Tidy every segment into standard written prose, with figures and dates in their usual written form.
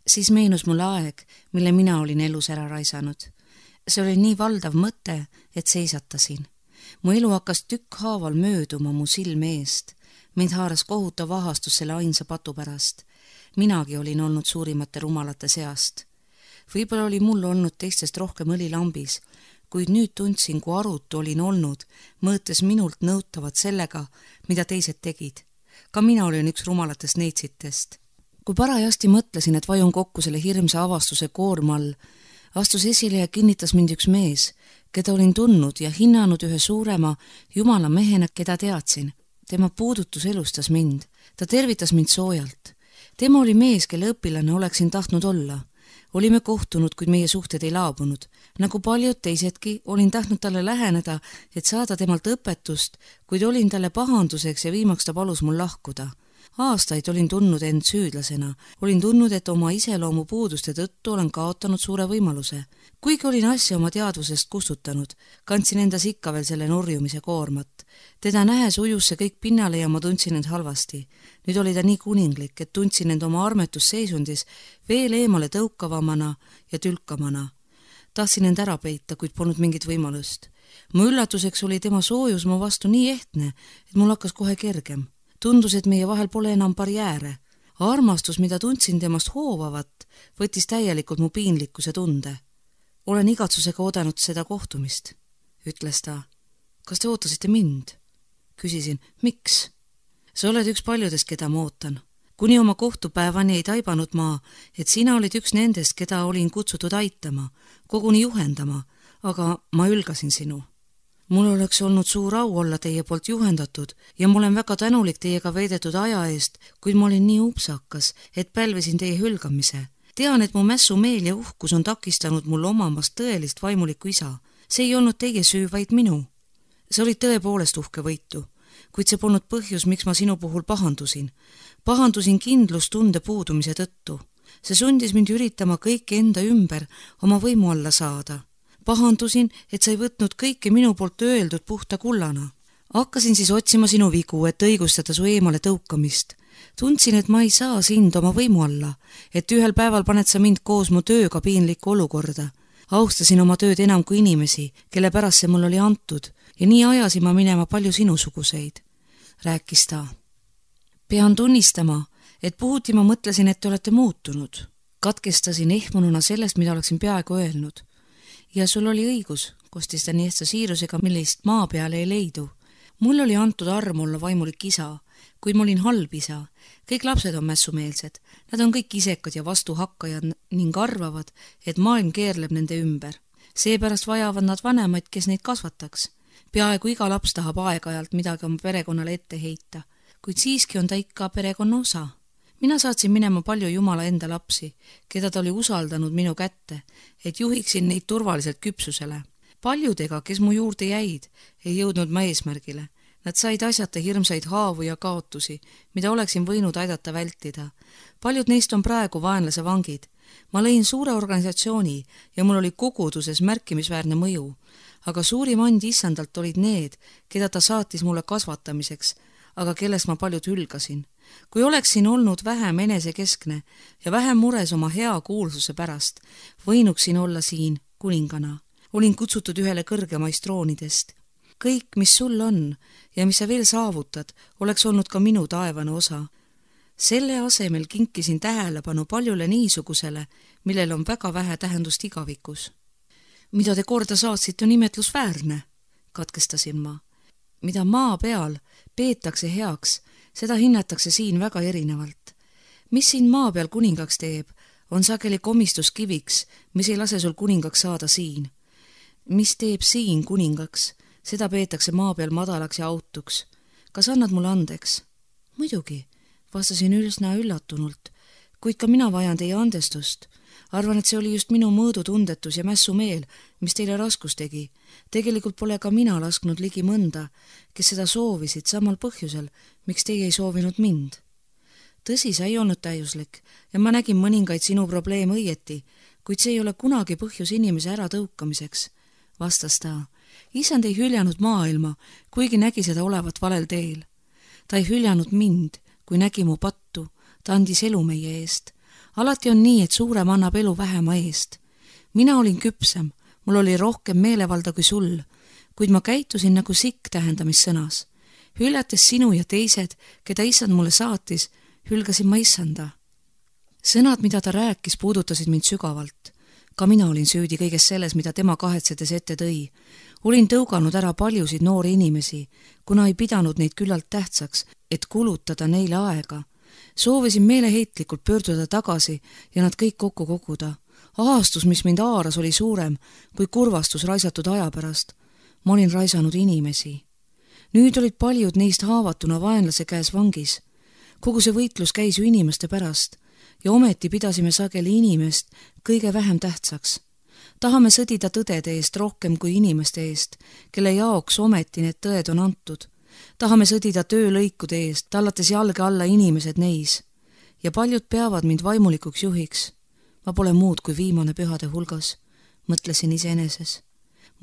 Siis meenus mulle aeg, mille mina olin elus ära raisanud. See oli nii valdav mõte, et seisatasin. Mu elu hakkas tükkhaaval mööduma mu silme eest. Mind haaras kohutav ahastus selle ainsa patu pärast. Minagi olin olnud suurimate rumalate seast. Võib-olla oli mul olnud teistest rohkem õli lambis, kuid nüüd tundsin, kui arutu olin olnud, mõõtes minult nõutavad sellega, mida teised tegid. Ka mina olin üks rumalatest neitsitest. Kui parajasti mõtlesin, et vajun kokku selle hirmsa avastuse koorma all, astus esile ja kinnitas mind üks mees, keda olin tundnud ja hinnanud ühe suurema jumala mehena, keda teadsin. Tema puudutus elustas mind. Ta tervitas mind soojalt. Tema oli mees, kelle õpilane oleksin tahtnud olla. Olime kohtunud, kuid meie suhted ei laabunud. Nagu paljud teisedki, olin tahtnud talle läheneda, et saada temalt õpetust, kuid olin talle pahanduseks ja viimaks ta palus mul lahkuda. Aastaid olin tundnud end süüdlasena. Olin tundnud, et oma iseloomu puuduste tõttu olen kaotanud suure võimaluse. Kuigi olin asja oma teadvusest kustutanud, kandsin endas ikka veel selle nurjumise koormat. Teda nähes ujus see kõik pinnale ja ma tundsin end halvasti. Nüüd oli ta nii kuninglik, et tundsin end oma armetusseisundis veel eemale tõukavamana ja tülkamana. Tahtsin end ära peita, kuid polnud mingit võimalust. Mu üllatuseks oli tema soojus mu vastu nii ehtne, et mul hakkas kohe kergem. Tundus, et meie vahel pole enam barjääre. Armastus, mida tundsin temast hoovavat, võttis täielikult mu piinlikkuse tunde. Olen igatsusega oodanud seda kohtumist, ütles ta. Kas te ootasite mind? Küsisin, miks? Sa oled üks paljudest, keda ma ootan. Kuni oma kohtupäevani ei taibanud ma, et sina olid üks nendest, keda olin kutsutud aitama, koguni juhendama, aga ma ülgasin sinu. Mul oleks olnud suur au olla teie poolt juhendatud ja ma olen väga tänulik teiega veedetud aja eest, kuid ma olin nii upsakas, et pälvisin teie hülgamise. Tean, et mu mässumeel ja uhkus on takistanud mul omamast tõelist vaimulikku isa. See ei olnud teie süü, vaid minu. See oli tõepoolest uhke võitu, kuid see polnud põhjus, miks ma sinu puhul pahandusin. Pahandusin kindlustunde puudumise tõttu. See sundis mind üritama kõike enda ümber oma võimu alla saada. Pahandusin, et sa ei võtnud kõike minu poolt öeldud puhta kullana. Hakkasin siis otsima sinu vigu, et õigustada su eemale tõukamist. Tundsin, et ma ei saa sind oma võimu alla, et ühel päeval paned sa mind koos mu tööga piinlikku olukorda. Austasin oma tööd enam kui inimesi, kelle pärast see mul oli antud, ja nii ajasin ma minema palju sinusuguseid. Rääkis ta. Pean tunnistama, et puhuti ma mõtlesin, et te olete muutunud. Katkestasin ehmununa sellest, mida oleksin peaaegu öelnud. Ja sul oli õigus, kostis ta nii ehtsa siirusega, millist maa peale ei leidu. Mul oli antud arm olla vaimulik isa, kuid ma olin halb isa. Kõik lapsed on mässumeelsed. Nad on kõik isekad ja vastuhakkajad ning arvavad, et maailm keerleb nende ümber. Seepärast vajavad nad vanemaid, kes neid kasvataks. Peaaegu iga laps tahab aeg-ajalt midagi oma perekonnale ette heita, kuid siiski on ta ikka perekonna osa. Mina saatsin minema palju Jumala enda lapsi, keda ta oli usaldanud minu kätte, et juhiksin neid turvaliselt küpsusele. Paljudega, kes mu juurde jäid, ei jõudnud ma eesmärgile. Nad said asjata hirmsaid haavu ja kaotusi, mida oleksin võinud aidata vältida. Paljud neist on praegu vaenlase vangid. Ma lõin suure organisatsiooni ja mul oli koguduses märkimisväärne mõju, aga suurim and issandalt olid need, keda ta saatis mulle kasvatamiseks, aga kellest ma paljud hülgasin. Kui oleksin olnud vähem enesekeskne ja vähem mures oma hea kuulsuse pärast, võinuksin olla siin kuningana. Olin kutsutud ühele kõrgemaist troonidest. Kõik, mis sul on ja mis sa veel saavutad, oleks olnud ka minu taevane osa. Selle asemel kinkisin tähelepanu paljule niisugusele, millel on väga vähe tähendust igavikus. Mida te korda saatsite, on imetlusväärne, katkestasin ma. Mida maa peal peetakse heaks, seda hinnatakse siin väga erinevalt. Mis siin maa peal kuningaks teeb, on sageli komistuskiviks, mis ei lase sul kuningaks saada siin. Mis teeb siin kuningaks, seda peetakse maa peal madalaks ja autuks. Kas annad mulle andeks? Muidugi, vastasin üsna üllatunult, kuid ka mina vajan teie andestust. Arvan, et see oli just minu mõõdutundetus ja mässumeel, mis teile raskus tegi. Tegelikult pole ka mina lasknud ligi mõnda, kes seda soovisid samal põhjusel, miks teie ei soovinud mind. Tõsi, sa ei olnud täiuslik ja ma nägin mõningaid sinu probleeme õieti, kuid see ei ole kunagi põhjus inimese ära tõukamiseks, vastas ta. Isand ei hüljanud maailma, kuigi nägi seda olevat valel teel. Ta ei hüljanud mind, kui nägi mu pattu, ta andis elu meie eest. alati on nii, et suurem annab elu vähema eest. Mina olin küpsem, mul oli rohkem meelevalda kui sul, kuid ma käitusin nagu sikk tähendamissõnas. Hüljates sinu ja teised, keda issand mulle saatis, hülgasin ma issanda. Sõnad, mida ta rääkis, puudutasid mind sügavalt. Ka mina olin süüdi kõiges selles, mida tema kahetsedes ette tõi. Olin tõuganud ära paljusid noori inimesi, kuna ei pidanud neid küllalt tähtsaks, et kulutada neile aega. Soovisin meeleheitlikult pöörduda tagasi ja nad kõik kokku koguda. Ahastus, mis mind haaras, oli suurem kui kurvastus raisatud aja pärast. Ma olin raisanud inimesi. Nüüd olid paljud neist haavatuna vaenlase käes vangis. Kogu see võitlus käis ju inimeste pärast ja ometi pidasime sageli inimest kõige vähem tähtsaks. Tahame sõdida tõdede eest rohkem kui inimeste eest, kelle jaoks ometi need tõed on antud. Tahame sõdida töölõikude eest, tallates jalge alla inimesed neis. Ja paljud peavad mind vaimulikuks juhiks. Ma pole muud kui viimane pühade hulgas, mõtlesin iseeneses.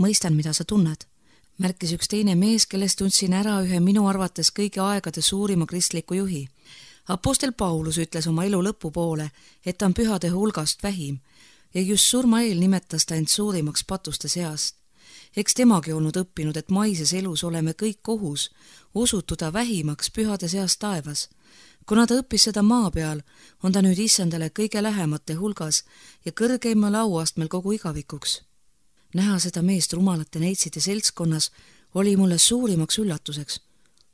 Mõistan, mida sa tunned, märkis üks teine mees, kellest tundsin ära ühe minu arvates kõigi aegade suurima kristliku juhi. Apostel Paulus ütles oma elu lõpupoole, et ta on pühade hulgast vähim ja just surma eel nimetas ta end suurimaks patuste seast. Eks temagi olnud õppinud, et maises elus oleme kõik kohus osutuda vähimaks pühade seast taevas. Kuna ta õppis seda maa peal, on ta nüüd issandale kõige lähemate hulgas ja kõrgeimal auastmel kogu igavikuks. Näha seda meest rumalate neitside seltskonnas oli mulle suurimaks üllatuseks.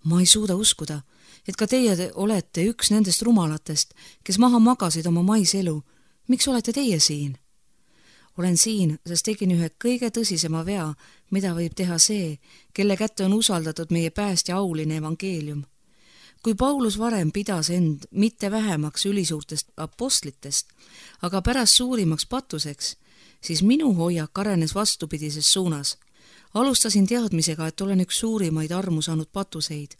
Ma ei suuda uskuda, et ka teie olete üks nendest rumalatest, kes maha magasid oma maiselu. Miks olete teie siin? Olen siin, sest tegin ühe kõige tõsisema vea, mida võib teha see, kelle kätte on usaldatud meie päästja auline evangeelium. Kui Paulus varem pidas end mitte vähemaks ülisuurtest apostlitest, aga pärast suurimaks patuseks, siis minu hoiak arenes vastupidises suunas. Alustasin teadmisega, et olen üks suurimaid armu saanud patuseid,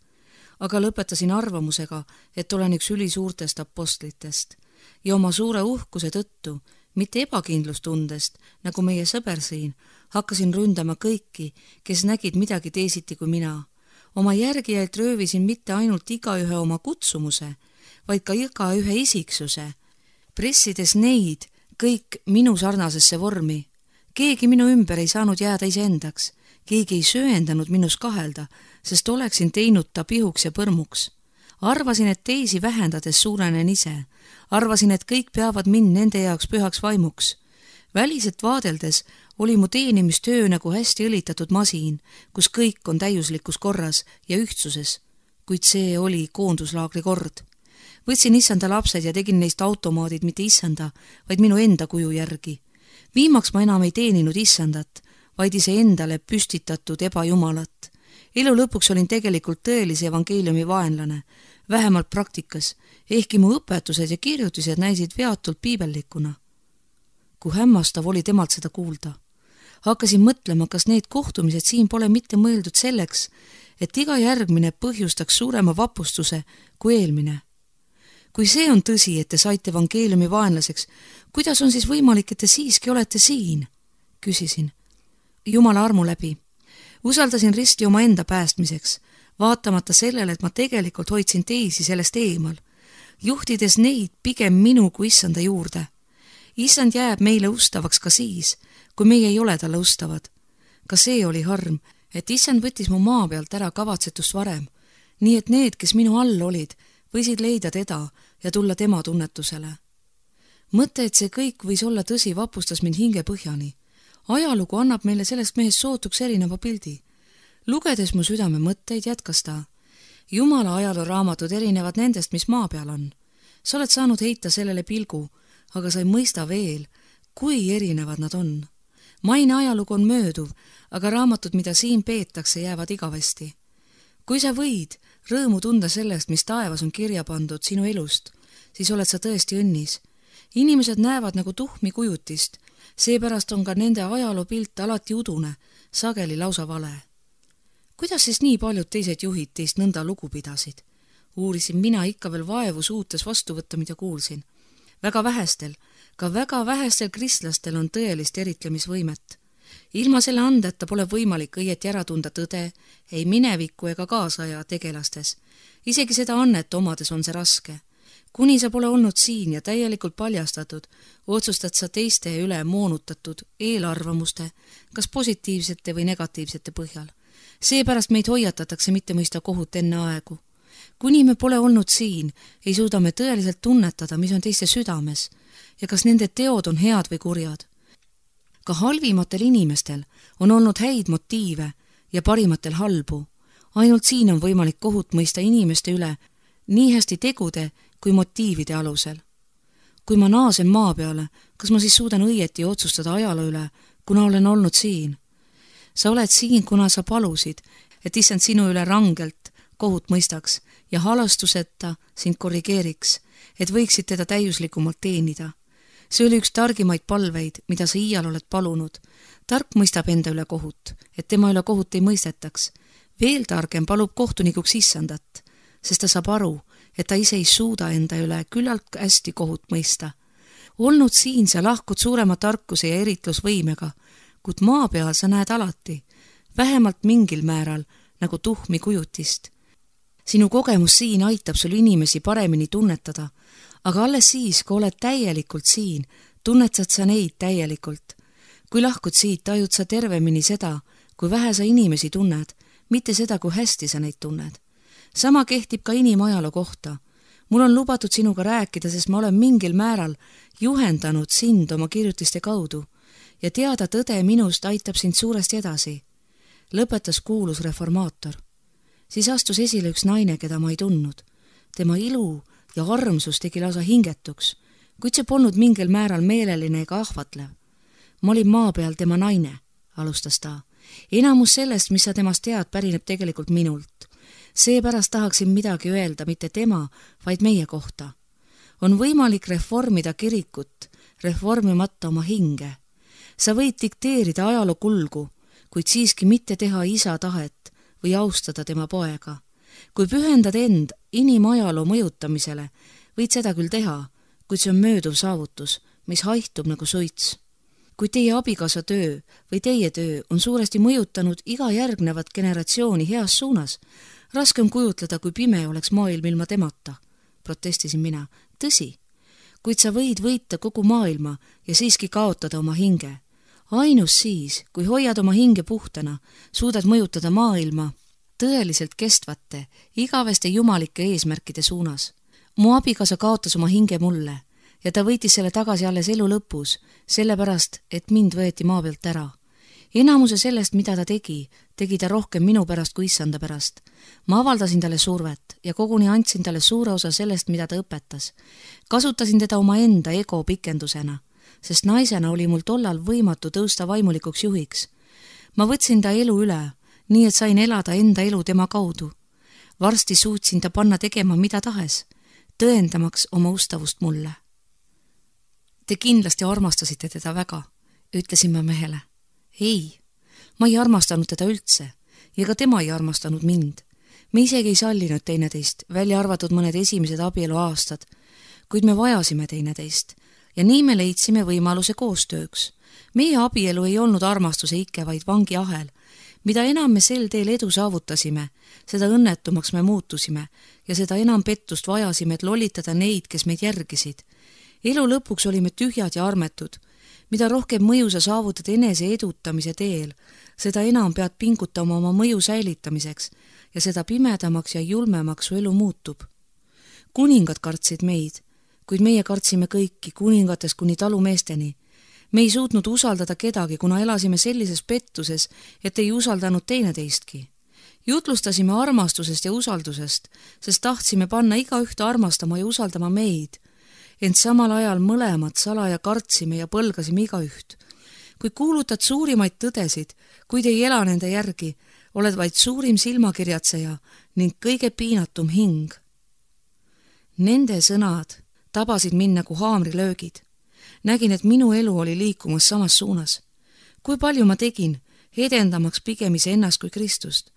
aga lõpetasin arvamusega, et olen üks ülisuurtest apostlitest ja oma suure uhkuse tõttu, mitte ebakindlustundest, nagu meie sõber siin, hakkasin ründama kõiki, kes nägid midagi teisiti kui mina. Oma järgijalt röövisin mitte ainult igaühe oma kutsumuse, vaid ka igaühe isiksuse, pressides neid kõik minu sarnasesse vormi. Keegi minu ümber ei saanud jääda iseendaks, keegi ei sööendanud minus kahelda, sest oleksin teinud ta pihuks ja põrmuks. Arvasin, et teisi vähendades suurenen ise. Arvasin, et kõik peavad mind nende jaoks pühaks vaimuks. Väliselt vaadeldes oli mu teenimistöö nagu hästi õlitatud masin, kus kõik on täiuslikus korras ja ühtsuses, kuid see oli koonduslaagri kord. Võtsin issanda lapsed ja tegin neist automaadid mitte issanda, vaid minu enda kuju järgi. Viimaks ma enam ei teeninud issandat, vaid iseendale püstitatud ebajumalat. Elu lõpuks olin tegelikult tõelise evangeeliumi vaenlane, vähemalt praktikas, ehkki mu õpetused ja kirjutised näisid veatult piibellikuna. Kui hämmastav oli temalt seda kuulda. Hakkasin mõtlema, kas need kohtumised siin pole mitte mõeldud selleks, et iga järgmine põhjustaks suurema vapustuse kui eelmine. Kui see on tõsi, et te saite evangeeliumi vaenlaseks, kuidas on siis võimalik, et te siiski olete siin? Küsisin. Jumala armu läbi. Usaldasin risti oma enda päästmiseks, vaatamata sellele, et ma tegelikult hoidsin teisi sellest eemal, juhtides neid pigem minu kui issanda juurde. Issand jääb meile ustavaks ka siis, kui meie ei ole talle ustavad. Ka see oli harm, et issand võttis mu maa pealt ära kavatsetust varem, nii et need, kes minu all olid, võisid leida teda ja tulla tema tunnetusele. Mõte, et see kõik võis olla tõsi, vapustas mind hinge põhjani. Ajalugu annab meile sellest mehest sootuks erineva pildi. Lugedes mu südame mõtteid, jätkas ta. Jumala ajalooraamatud erinevad nendest, mis maa peal on. Sa oled saanud heita sellele pilgu, aga sa ei mõista veel, kui erinevad nad on. Maine ajalugu on mööduv, aga raamatud, mida siin peetakse, jäävad igavesti. Kui sa võid rõõmu tunda sellest, mis taevas on kirja pandud sinu elust, siis oled sa tõesti õnnis. Inimesed näevad nagu tuhmi kujutist, seepärast on ka nende ajaloopilt alati udune, sageli lausa vale. Kuidas siis nii paljud teised juhid teist nõnda lugu pidasid? Uurisin mina ikka veel vaevu suutes vastu võtta, mida kuulsin. Väga vähestel kristlastel on tõelist eritlemisvõimet. Ilma selle andeta pole võimalik õieti ära tunda tõde, ei mineviku ega kaasaja tegelastes. Isegi seda annet omades on see raske. Kuni sa pole olnud siin ja täielikult paljastatud, otsustad sa teiste üle moonutatud eelarvamuste, kas positiivsete või negatiivsete põhjal. Seepärast meid hoiatatakse mitte mõista kohut enne aegu. Kuni me pole olnud siin, ei suuda me tõeliselt tunnetada, mis on teiste südames ja kas nende teod on head või kurjad. Ka halvimatel inimestel on olnud häid motiive ja parimatel halbu. Ainult siin on võimalik kohut mõista inimeste üle nii hästi tegude kui motiivide alusel. Kui ma naasen maa peale, kas ma siis suudan õieti otsustada ajaloo üle, kuna olen olnud siin? Sa oled siin, kuna sa palusid, et issand sinu üle rangelt kohut mõistaks ja halastuseta sind korrigeeriks, et võiksid teda täiuslikumalt teenida. See oli üks targimaid palveid, mida sa iial oled palunud. Tark mõistab enda üle kohut, et tema üle kohut ei mõistetaks. Veel targem palub kohtunikuks issandat, sest ta saab aru, et ta ise ei suuda enda üle küllalt hästi kohut mõista. Olnud siin sa lahkud suurema tarkuse ja eritlusvõimega, kuid maa peal sa näed alati, vähemalt mingil määral, nagu tuhmi kujutist. Sinu kogemus siin aitab sul inimesi paremini tunnetada, aga alles siis, kui oled täielikult siin, tunnetad sa neid täielikult. Kui lahkud siit, tajud sa tervemini seda, kui vähe sa inimesi tunned, mitte seda, kui hästi sa neid tunned. Sama kehtib ka inimajaloo kohta. Mul on lubatud sinuga rääkida, sest ma olen mingil määral juhendanud sind oma kirjutiste kaudu ja teada tõde minust aitab sind suuresti edasi. Lõpetas kuulus reformaator. Siis astus esile üks naine, keda ma ei tundnud. Tema ilu ja armsus tegi lausa hingetuks, kuid see polnud mingil määral meeleline ega ahvatlev. Ma olin maa peal tema naine, alustas ta. Enamus sellest, mis sa temast tead, pärineb tegelikult minult. Seepärast tahaksin midagi öelda mitte tema, vaid meie kohta. On võimalik reformida kirikut, reformimata oma hinge. Sa võid dikteerida ajaloo kulgu, kuid siiski mitte teha isa tahet või austada tema poega. Kui pühendad end inimajaloo mõjutamisele, võid seda küll teha, kuid see on mööduv saavutus, mis haihtub nagu suits. Kui teie abikaasa töö või teie töö on suuresti mõjutanud iga järgnevat generatsiooni heas suunas, raske on kujutleda, kui pime oleks maailm ilma temata, protestisin mina. Tõsi, kuid sa võid võita kogu maailma ja siiski kaotada oma hinge. Ainus siis, kui hoiad oma hinge puhtana, suudad mõjutada maailma tõeliselt kestvate, igaveste jumalike eesmärkide suunas. Mu abikaasa kaotas oma hinge mulle ja ta võitis selle tagasi alles elu lõpus, sellepärast, et mind võeti maa pealt ära. Enamuse sellest, mida ta tegi ta rohkem minu pärast kui issanda pärast. Ma avaldasin talle survet ja koguni andsin talle suure osa sellest, mida ta õpetas. Kasutasin teda omaenda ego pikendusena, sest naisena oli mul tollal võimatu tõusta vaimulikuks juhiks. Ma võtsin ta elu üle, nii et sain elada enda elu tema kaudu. Varsti suutsin ta panna tegema mida tahes, tõendamaks oma ustavust mulle. Te kindlasti armastasite teda väga, ütlesin ma mehele. Ei, ma ei armastanud teda üldse ja ka tema ei armastanud mind. Me isegi ei sallinud teineteist, välja arvatud mõned esimesed abielu aastad, kuid me vajasime teineteist ja nii me leidsime võimaluse koostööks. Meie abielu ei olnud armastuse ikke, vaid vangiahel. Mida enam me sel teel edu saavutasime, seda õnnetumaks me muutusime ja seda enam pettust vajasime, et lollitada neid, kes meid järgisid. Elu lõpuks olime tühjad ja armetud. Mida rohkem mõju sa saavutad enese edutamise teel, seda enam pead pingutama oma mõju säilitamiseks ja seda pimedamaks ja julmemaks su elu muutub. Kuningad kartsid meid, kuid meie kartsime kõiki, kuningatest kuni talumeesteni. Me ei suutnud usaldada kedagi, kuna elasime sellises pettuses, et ei usaldanud teineteistki. Jutlustasime armastusest ja usaldusest, sest tahtsime panna igaühte armastama ja usaldama meid. Ent samal ajal mõlemad salaja kartsime ja põlgasime igaüht. Kui kuulutad suurimaid tõdesid, kuid ei ela nende järgi, oled vaid suurim silmakirjatseja ning kõige piinatum hing. Nende sõnad tabasid mind nagu haamrilöögid. Nägin, et minu elu oli liikumas samas suunas. Kui palju ma tegin, edendamaks pigem iseennast kui Kristust.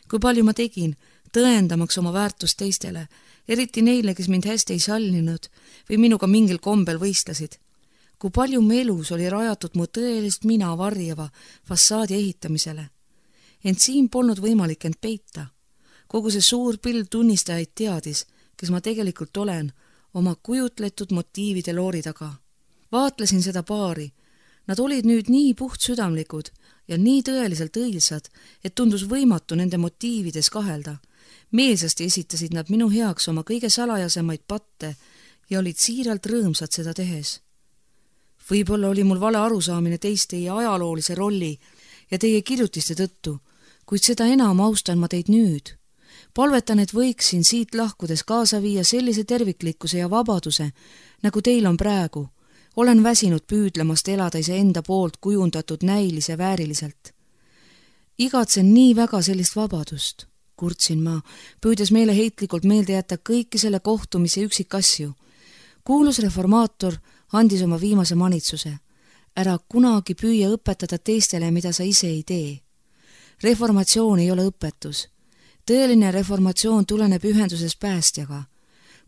Kui palju ma tegin, tõendamaks oma väärtust teistele, eriti neile, kes mind hästi ei sallinud või minuga mingil kombel võistlesid. Kui palju mu elus oli rajatud mu tõelist mina varjava fassaadi ehitamisele. Ent siin polnud võimalik end peita. Kogu see suur pilv tunnistajaid teadis, kes ma tegelikult olen, oma kujutletud motiivide loori taga. Vaatlesin seda paari. Nad olid nüüd nii puhtsüdamlikud ja nii tõeliselt õilsad, et tundus võimatu nende motiivides kahelda. Meelsasti esitasid nad minu heaks oma kõige salajasemaid patte ja olid siiralt rõõmsad seda tehes. Võib-olla oli mul vale arusaamine teist teie ajaloolise rolli ja teie kirjutiste tõttu, kuid seda enam austan ma teid nüüd. Palvetan, et võiksin siit lahkudes kaasa viia sellise terviklikkuse ja vabaduse, nagu teil on praegu. Olen väsinud püüdlemast elada iseenda poolt kujundatud näilise vääriliselt. Igatsen nii väga sellist vabadust, kurtsin ma, püüdes meeleheitlikult meelde jätta kõiki selle kohtumise üksikasju. Kuulus reformaator andis oma viimase manitsuse. Ära kunagi püüa õpetada teistele, mida sa ise ei tee. Reformatsioon ei ole õpetus. Tõeline reformatsioon tuleneb ühenduses päästjaga.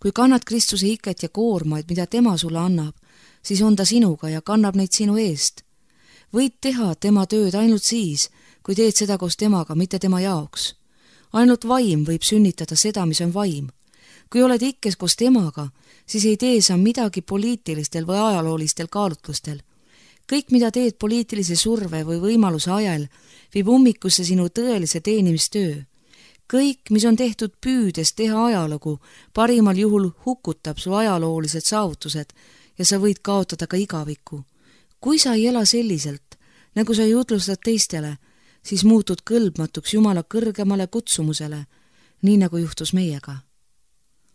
Kui kannad Kristuse iket ja koormaid, mida tema sulle annab, siis on ta sinuga ja kannab neid sinu eest. Võid teha tema tööd ainult siis, kui teed seda koos temaga, mitte tema jaoks. Ainult vaim võib sünnitada seda, mis on vaim. Kui oled ikkes koos temaga, siis ei tee sa midagi poliitilistel või ajaloolistel kaalutlustel. Kõik, mida teed poliitilise surve või võimaluse ajal, viib ummikusse sinu tõelise teenimistöö. Kõik, mis on tehtud püüdes teha ajalugu, parimal juhul hukutab su ajaloolised saavutused ja sa võid kaotada ka igaviku. Kui sa ei ela selliselt, nagu sa jutlustad teistele, siis muutud kõlbmatuks Jumala kõrgemale kutsumusele, nii nagu juhtus meiega.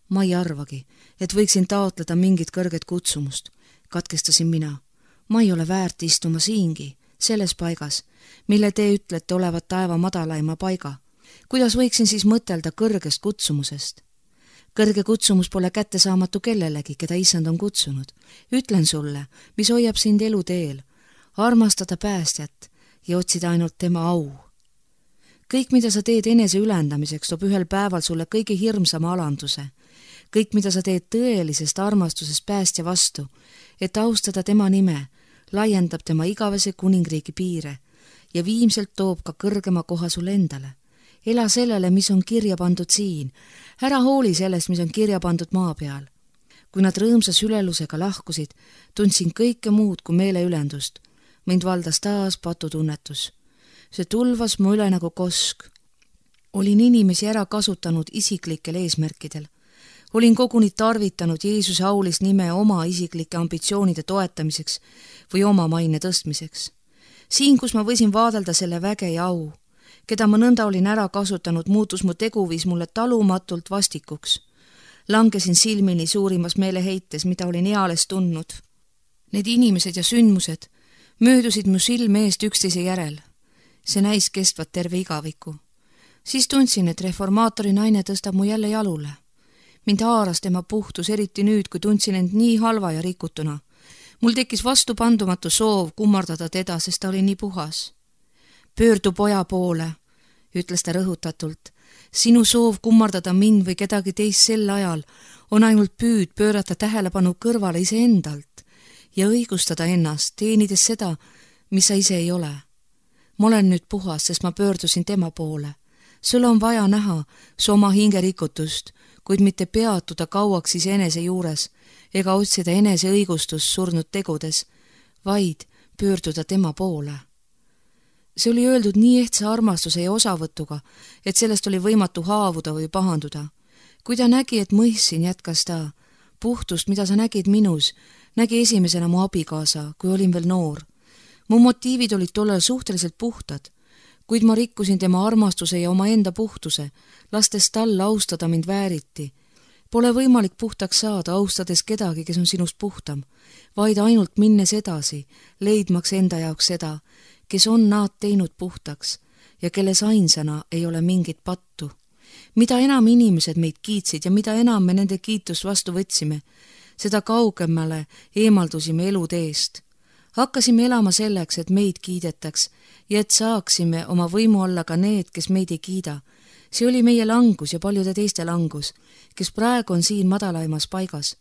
Ma ei arvagi, et võiksin taotleda mingit kõrget kutsumust, katkestasin mina. Ma ei ole väärt istuma siingi, selles paigas, mille te ütlete olevat taeva madalaima paiga. Kuidas võiksin siis mõtelda kõrgest kutsumusest? Kõrge kutsumus pole kättesaamatu kellelegi, keda Issand on kutsunud. Ütlen sulle, mis hoiab sind eluteel, armastada päästjat ja otsida ainult tema au. Kõik, mida sa teed enese ülendamiseks, toob ühel päeval sulle kõige hirmsama alanduse. Kõik, mida sa teed tõelisest armastusest päästja vastu, et austada tema nime, laiendab tema igavese kuningriigi piire ja viimselt toob ka kõrgema koha sulle endale. Ela sellele, mis on kirja pandud siin. Ära hooli sellest, mis on kirja pandud maa peal. Kui nad rõõmsa sülelusega lahkusid, tundsin kõike muud kui meeleülendust. Mind valdas taas patutunnetus. See tulvas mu üle nagu kosk. Olin inimesi ära kasutanud isiklikel eesmärkidel. Olin koguni tarvitanud Jeesuse aulist nime oma isiklike ambitsioonide toetamiseks või oma maine tõstmiseks. Siin, kus ma võisin vaadelda selle väge ja au, keda ma nõnda olin ära kasutanud, muutus mu teguviis mulle talumatult vastikuks. Langesin silmini suurimas meeleheites, mida olin eales tundnud. Need inimesed ja sündmused möödusid mu silme eest üksteise järel. See näis kestvat terve igaviku. Siis tundsin, et reformaatori naine tõstab mu jälle jalule. Mind haaras tema puhtus, eriti nüüd, kui tundsin end nii halva ja rikutuna. Mul tekkis vastupandumatu soov kummardada teda, sest ta oli nii puhas. Pöördu poja poole, ütles ta rõhutatult. Sinu soov kummardada mind või kedagi teist sel ajal on ainult püüd pöörata tähelepanu kõrvale iseendalt ja õigustada ennast, teenides seda, mis sa ise ei ole. Ma olen nüüd puhas, sest ma pöördusin tema poole. Sul on vaja näha su oma hinge rikutust, kuid mitte peatuda kauaks iseenese juures ega otsida enese õigustust surnud tegudes, vaid pöörduda tema poole. See oli öeldud nii ehtsa armastuse ja osavõtuga, et sellest oli võimatu haavuda või pahanduda. Kui ta nägi, et mõistsin, jätkas ta. Puhtust, mida sa nägid minus, nägi esimesena mu abikaasa, kui olin veel noor. Mu motiivid olid tollel suhteliselt puhtad, kuid ma rikkusin tema armastuse ja omaenda puhtuse, lastes tal austada mind vääriti. Pole võimalik puhtaks saada, austades kedagi, kes on sinust puhtam, vaid ainult minnes edasi, leidmaks enda jaoks seda, kes on nad teinud puhtaks ja kelles ainsana ei ole mingit pattu. Mida enam inimesed meid kiitsid ja mida enam me nende kiitust vastu võtsime, seda kaugemale eemaldusime eluteest. Hakkasime elama selleks, et meid kiidetaks ja et saaksime oma võimu alla ka need, kes meid ei kiida. See oli meie langus ja paljude teiste langus, kes praegu on siin madalaimas paigas.